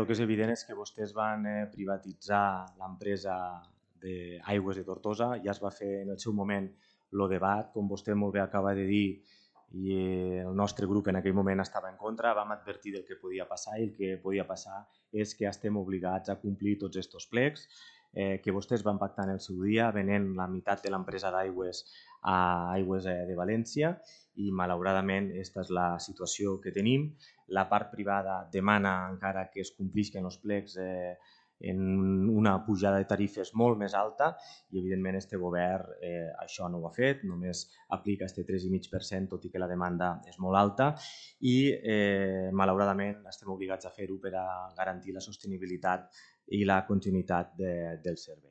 El que és evident és que vostès van privatitzar l'empresa d'Aigües de Tortosa, ja es va fer en el seu moment el debat, com vostè molt bé acaba de dir, i el nostre grup en aquell moment estava en contra, vam advertir del que podia passar i el que podia passar és que estem obligats a complir tots aquests plecs que vostès van pactar en el seu dia, venent la meitat de l'empresa d'aigües a Aigües de València i malauradament aquesta és la situació que tenim. La part privada demana encara que es complisquen els plecs en una pujada de tarifes molt més alta i evidentment este govern això no ho ha fet, només aplica este 3,5% tot i que la demanda és molt alta i malauradament estem obligats a fer-ho per a garantir la sostenibilitat i la continuïtat del servei.